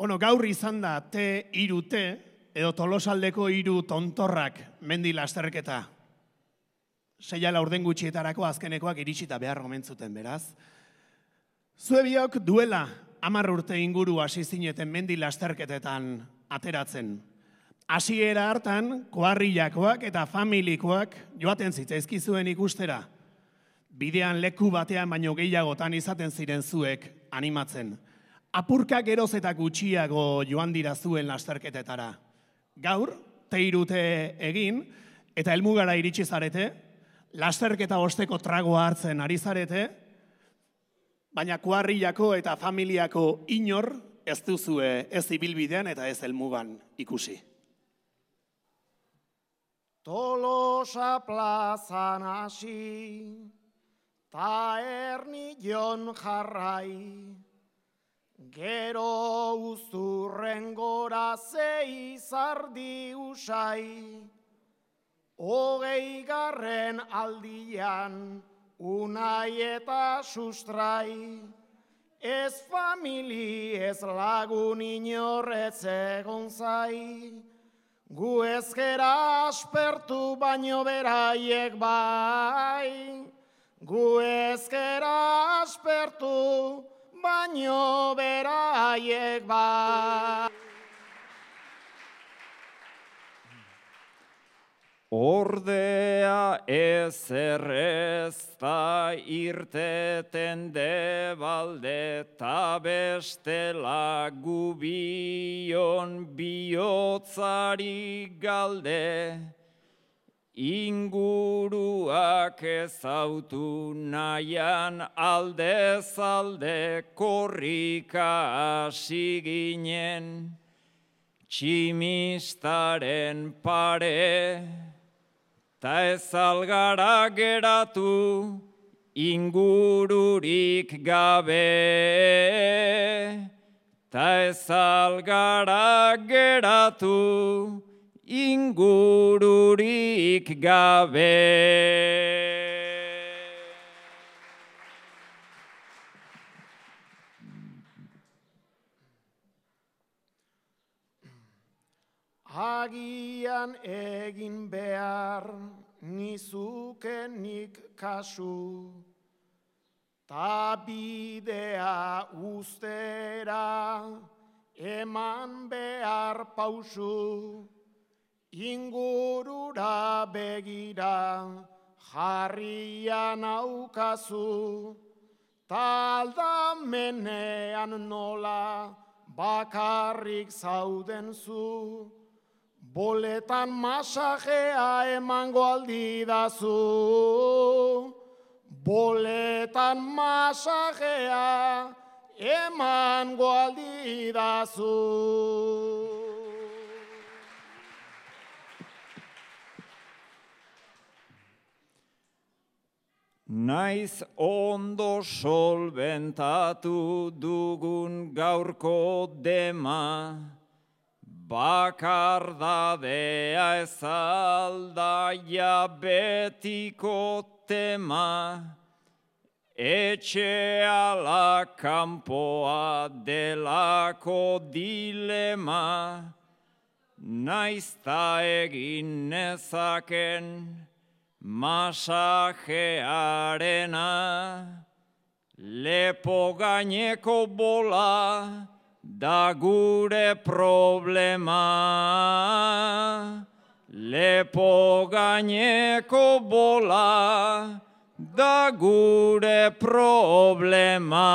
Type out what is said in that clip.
Bueno, gaur izan da T3T, edo Tolosaldeko 3 tontorrak mendi lasterketa. 6 laurden gutxietarako azkenekoak iritsita behar gomentzuten, beraz. Zuebiok duela 10 urte inguru hasi zineten mendi lasterketetan ateratzen. Hasiera hartan, koarrilakoak eta familikoak joaten zitzaizkizuen ikustera. Bidean leku batean baino gehiagotan izaten ziren zuek animatzen. Apurka geroz eta gutxiago joan dira zuen lasterketetara. Gaur, T3T egin, eta helmugara iritsi zarete, lasterketa osteko tragoa hartzen ari zarete, baina kuarrilako eta familiako inor ez duzue ez ibilbidean eta ez helmugan ikusi. Tolosa plazan hasi, ta Ernijon jarrai, gero uzturren gora zei zardi usai, 20. aldian unai eta sustrai, ez famili ez lagun inorrez egon zai, gu ezkera aspertu baino beraiek bai, gu ezkera aspertu baino beraiek bai. Ordea ezer ez da irteten debalde, ta bestela gubion bihotzari galde, inguruak ezautu nahian aldez alde korrika hasi ginen, tximistaren pare, ta ez algara geratu ingururik gabe, ta ez algara geratu ingururik gabe. Agian egin behar nizukenik kasu, ta bidea ustera eman behar pausu, ingurura begira jarrian aukazu, ta aldamenean nola bakarrik zauden zu, boletan masajea emango aldidazu, boletan masajea emango aldidazu. Naiz ondo solventatu dugun gaurko dema, bakardadea ez aldaia betiko tema, etxeala kanpoa delako dilema, naiz ta egin nezaken masajearena, lepo gaineko bola da gure problema, lepo gaineko bola da gure problema.